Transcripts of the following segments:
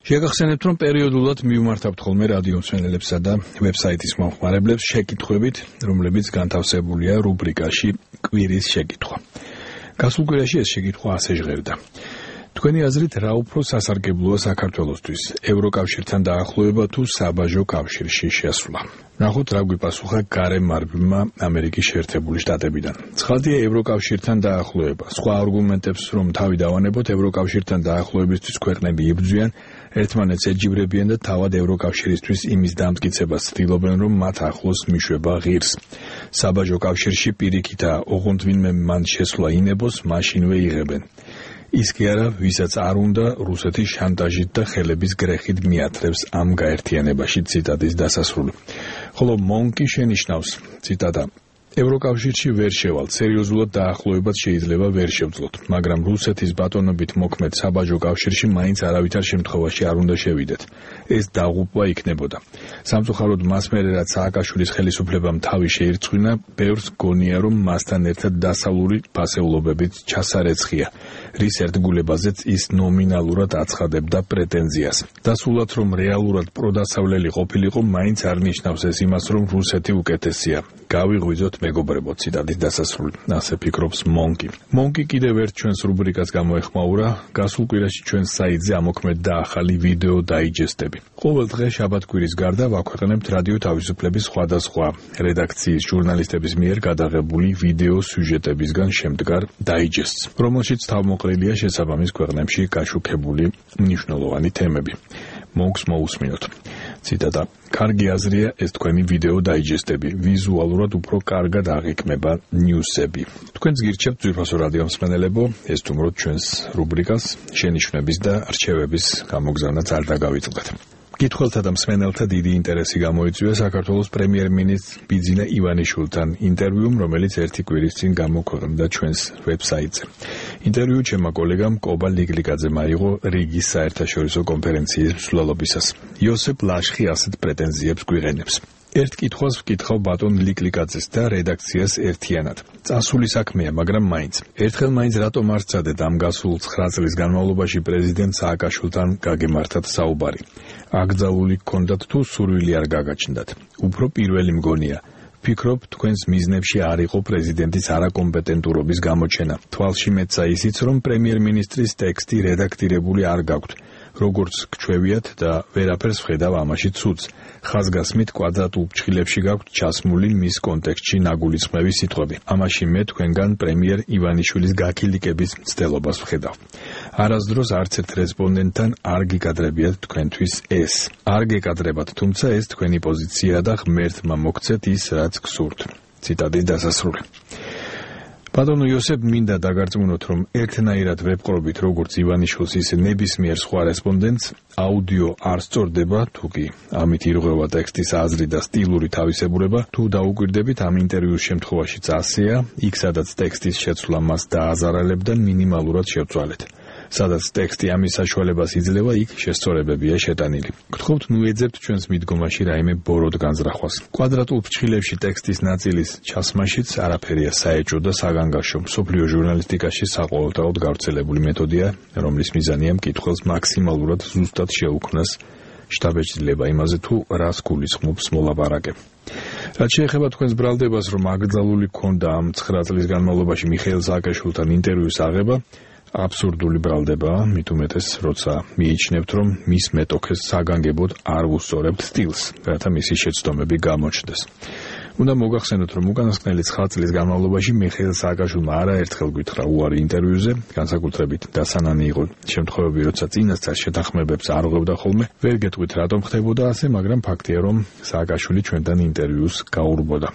შეგახსენებთ, რომ პერიოდულად მივმართავთ ხოლმე რადიო მსმენელებსა და ვებსაიტის მომხმარებლებს შეკითხვებით, რომლებიც განთავსებულია რუბრიკაში კვირის შეკითხვა. გასულ კვირაში ეს შეკითხვა ასე ჟღერდა. თქვენი აზრით, რა უფრო სასარგებლოა საქართველოსთვის, ევროკავშირთან დაახლოება თუ საბაჟო კავშირში შესვლა? ნახოთ, რა გვიპასუხა გარემ მარბილმა ამერიკის შეერთებული შტატებიდან. ცხადია, ევროკავშირთან დაახლოება. სხვა არგუმენტებს რომ თავი დავანებოთ, ევროკავშირთან დაახლოებისთვის ქვეყნები იბრძვიან, ერთმანეთს ეჯიბრებიან და თავად ევროკავშირისთვის იმის დამტკიცებას ცდილობენ, რომ მათ ახლოს მიშვება ღირს. საბაჟო კავშირში პირიქითა, ოღონდ ვინმე მან შესვლა ინებოს, მაშინვე იღებენ. ის კი არა, ვისაც არ უნდა, რუსეთის შანტაჟით და ხელების გრეხით მიათრევს ამ გაერთიანებაში. ციტატის დასასრული. ხოლო მონკი შენიშნავს, ციტატა, ევროკავშირში ვერ შევალ, სერიოზულად დაახლოებაც შეიძლება ვერ შევძლოთ, მაგრამ რუსეთის ბატონობით მოქმედ საბაჟო კავშირში მაინც არავითარ შემთხვევაში არ უნდა შევიდეთ. ეს დაღუპვა იქნებოდა. სამწუხაროდ მას მერე რაც სააკაშვილის ხელისუფლებამ თავი შეირწყვინა, ბევრს გონია, რომ მასთან ერთად დასავლური ფასეულობებით ჩასარეცხია, რის ერთგულებაზეც ის ნომინალურად აცხადებდა პრეტენზიას. დასულად რომ რეალურად პროდასავლელი ყოფილიყო, მაინც არ ნიშნავს ეს იმას, რომ რუსეთი უკეთესია. გავიღვიძოთ მეგობრებო, ციტატის დასასრული. ასე ფიქრობს მონკი. მონკი კიდევ ერთ ჩვენს რუბრიკას გამოეხმაურა. გასულ კვირაში ჩვენს საიტზე ამოქმედდა ახალი ვიდეო დაიჯესტები. ყოველ დღე შაბათ-კვირის გარდა ვაქვეყნებთ რადიო თავისუფლების სხვადასხვა რედაქციის ჟურნალისტების მიერ გადაღებული ვიდეო სიუჟეტებისგან შემდგარ დაიჯესტს, რომელშიც თავმოყრილია შესაბამის ქვეყნებში გაშუქებული მნიშვნელოვანი თემები. მონკს მოусმინოთ. ციტატა. კარგი აზრია ეს თქვენი ვიდეო დაიჯესტები. ვიზუალურად უფრო კარგად აღიქმება ნიუსები. თქვენს გირჩევთ ძვირფასო რადიო მსმენელებო, ესტუმროთ ჩვენს რუბრიკას, შენიშვნების და რჩევების გამოგზავნაც არ დაგავიწყდეთ. კითხველთა და მსმენელთა დიდი ინტერესი გამოიწვია საქართველოს პრემიერ-მინისტრ ბიძინა ივანიშვილთან ინტერვიუმ, რომელიც ერთი კვირის წინ გამოქვეყნდა ჩვენს ვებსაიტზე. ინტერვიუ ჩემმა კოლეგამ კობა ლიგლიკაძემ აიღო რიგის საერთაშორისო კონფერენციის მსვლელობისას. იოსებ ლაშხი ასეთ პრეტენზიებს გვიყენებს. ერთ კითხვას ვკითხავ ბატონ ლიგლიკაძეს და რედაქციას ერთიანად. წასული საქმეა, მაგრამ მაინც. ერთხელ მაინც რატომ არ სცადეთ ამ გასულ 9 წლის განმავლობაში პრეზიდენტ სააკაშვილთან გაგემართათ საუბარი? აკრძალული გქონდათ თუ სურვილი არ გაგაჩნდათ? უფრო პირველი მგონია. ვფიქრობ, თქვენს მიზნებში არ იყო პრეზიდენტის არაკომპეტენტურობის გამოჩენა. თვალში მეცა ისიც, რომ პრემიერ-მინისტრის ტექსტი რედაქტირებული არ გაქვთ. როგორც გჩვევიათ და ვერაფერს ვხედავ ამაში ცუდს. ხაზგასმით კვადრატულ ფრჩხილებში გაქვთ ჩასმული მის კონტექსტში ნაგულისხმების სიტყვები. ამაში მე თქვენგან პრემიერ ივანიშვილის გაქილიკების მცდელობას ვხედავ. არასდროს არც ერთ რესპონდენტთან არ გიკადრებიათ თქვენთვის ეს. არ გეკადრებათ, თუმცა ეს თქვენი პოზიციაა და ღმერთმა მოგცეთ ის, რაც გსურთ. ციტატის დასასრული. ბატონო იოსებ, მინდა დაგარწმუნოთ, რომ ერთნაირად ვებყრობით როგორც ივანიშვილს, ისე ნებისმიერ სხვა რესპონდენტს აუდიო არ სწორდება, თუ კი ამით ირღვევა ტექსტის აზრი და სტილური თავისებურება, თუ დაუკვირდებით ამ ინტერვიუს შემთხვევაშიც ასეა, იქ სადაც ტექსტის შეცვლა მას დააზარალებდა, მინიმალურად შევცვალეთ. სადაც ტექსტი ამის საშუალებას იძლევა, იქ შესწორებებია შეტანილი. გთხოვთ, ნუ ეძებთ ჩვენს მიდგომაში რაიმე ბოროტ განზრახვას. კვადრატულ ფრჩხილებში ტექსტის ნაწილის ჩასმაშიც არაფერია საეჭვო და საგანგაშო. მსოფლიო ჟურნალისტიკაში საყოველთაოდ გავრცელებული მეთოდია, რომლის მიზანია მკითხველს მაქსიმალურად ზუსტად შეუქმნას შთაბეჭდილება იმაზე, თუ რას გულისხმობს მოლაპარაკე. რაც შეეხება თქვენს ბრალდებას, რომ აკრძალული გქონდა ამ 9 წლის განმავლობაში მიხეილ სააკაშვილთან ინტერვიუს აღება, აბსურდული ბრალდებაა, მით უმეტეს, როცა მიიჩნევთ, რომ მის მეტოქეს საგანგებოდ არ უსწორებთ სტილს, რათა მისი შეცდომები გამოჩნდეს. უნდა მოგახსენოთ, რომ უკანასკნელი 9 წლის განმავლობაში მიხეილ სააკაშვილმა არაერთხელ გითხრა უარი ინტერვიუზე, განსაკუთრებით დასანანი იყო შემთხვევები, როცა წინასწარ შეთანხმებებს არ ღვევდა ხოლმე. ვერ გეტყვით, რატომ ხდებოდა ასე, მაგრამ ფაქტია, რომ სააკაშვილი ჩვენთან ინტერვიუს გაურბოდა.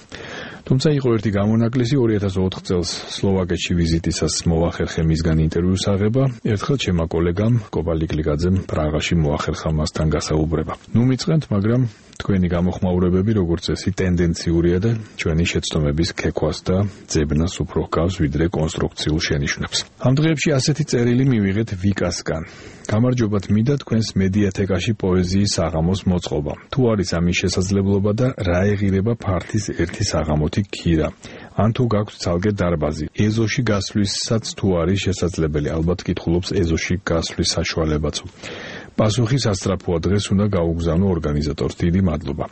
თუმცა იყო ერთი გამონაკლისი 2004 წელს სლოვაკეთში ვიზიტისას მოახერხე მისგან ინტერვიუს აღება. ერთხელ ჩემმა კოლეგამ კობა ლიგლიკაძემ პრაღაში მოახერხა მასთან გასაუბრება. ნუ მიწყენთ, მაგრამ თქვენი გამოხმაურებები, როგორც წესი, ტენდენციურია და ჩვენი შეცდომების ქექვას და ძებნას უფრო ჰგავს, ვიდრე კონსტრუქციულ შენიშვნებს. ამ დღეებში ასეთი წერილი მივიღეთ ვიკასგან. გამარჯობათ მინდა თქვენს მედიათეკაში პოეზიის საღამოს მოწყობა. თუ არის ამის შესაძლებლობა და რა ეღირება ფართის ერთი საღამოთი ქირა. ან თუ გაქვთ ცალკე დარბაზი. ეზოში გასვლისაცაც თუ არის შესაძლებელი, ალბათ კითხულობს ეზოში გასვლის საშუალებაც. პასუხი სასწრაფოა, დღეს უნდა გაუგზავნო ორგანიზატორს. დიდი მადლობა.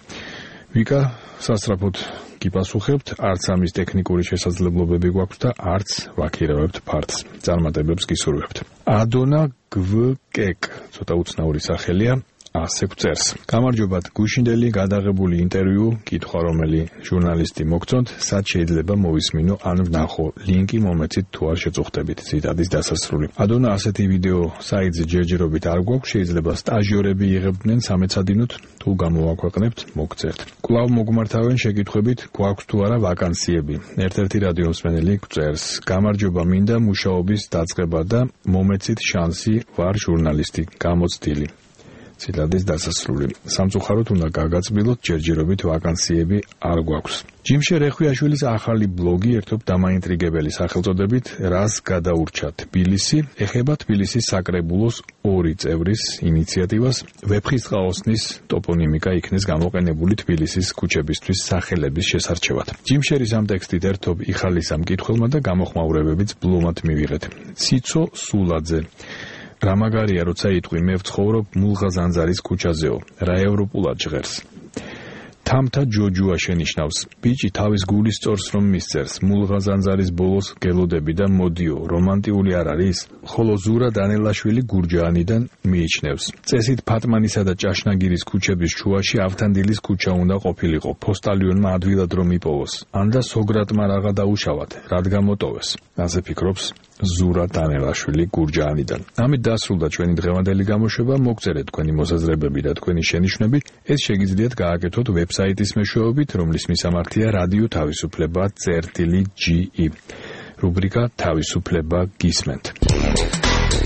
ვიკა, სასწრაფოდ გიპასუხებთ, არც ამის ტექნიკური შესაძლებლობები გვაქვს და არც ვაქირავებთ ფართს. წარმატებებს გისურვებთ. ადონა გვკეკ, ცოტა უცნაური სახელია. ასე გვწერს. გამარჯობათ, გუშინდელი გადაღებული ინტერვიუ, კითხვა რომელი ჟურნალისტი მოგწონთ, სად შეიძლება მოვისმინო ან ვნახო, ლინკი მომეცით თუ არ შეწუხდებით. ციტატის დასასრული. ადონა, ასეთი ვიდეო საიტზე ჯერჯერობით არ გვაქვს, შეიძლება სტაჟიორები იღებდნენ სამეცადინოთ, თუ გამოვაქვეყნებთ, მოგწერთ. კვლავ მოგმართავენ შეკითხვებით, გვაქვს თუ არა ვაკანსიები. ერთ-ერთი რადიო მსმენელი გვწერს. გამარჯობა, მინდა მუშაობის დაწყება და მომეცით შანსი, ვარ ჟურნალისტი, გამოცდილი. ციტატის დასასრული. სამწუხაროდ უნდა გაგაწბილოთ, ჯერჯერობით ვაკანსიები არ გვაქვს. ჯიმშე რეხვიაშვილის ახალი ბლოგი ერთობ დამაინტრიგებელი სახელწოდებით რას გადაურჩა თბილისი, ეხება თბილისის საკრებულოს 2 წევრის ინიციატივას, ვეფხისტყაოსნის ტოპონიმიკა იქნეს გამოყენებული თბილისის ქუჩებისთვის სახელების შესარჩევად. ჯიმშერის ამ ტექსტით ერთობ იხალისა მკითხველმა და გამოხმაურებებიც ბლომად მივიღეთ. ციცო სულაძე. რა მაგარია, როცა იტყვი, მე ვცხოვრობ მულღაზანძარის ქუჩაზეო, რა ევროპულად ჟღერს. თამთა ჯოჯუა შენიშნავს, ბიჭი თავის გულის სწორს რომ მისწერს, მულღაზანძარის ბოლოს გელოდები და მოდიო, რომანტიული არ არის? ხოლო ზურა დანელაშვილი გურჯაანიდან მიიჩნევს. წესით ფატმანისა და ჭაშნაგირის ქუჩების შუაში ავთანდილის ქუჩა უნდა ყოფილიყო, ფოსტალიონმა ადვილად რომ იპოვოს, ან და სოგრატმა რაღა დაუშავათ, რადგან მოტოვეს. ასე ფიქრობს ზურა დანელაშვილი გურჯაანიდან. ამით დასრულდა ჩვენი დღევანდელი გამოშვება, მოგწერეთ თქვენი მოსაზრებები და თქვენი შენიშვნები, ეს შეგიძლიათ გააკეთოთ ვებსაიტის მეშვეობით, რომლის მისამართია რადიო თავისუფლება.ge. რუბრიკა თავისუფლება გისმენთ.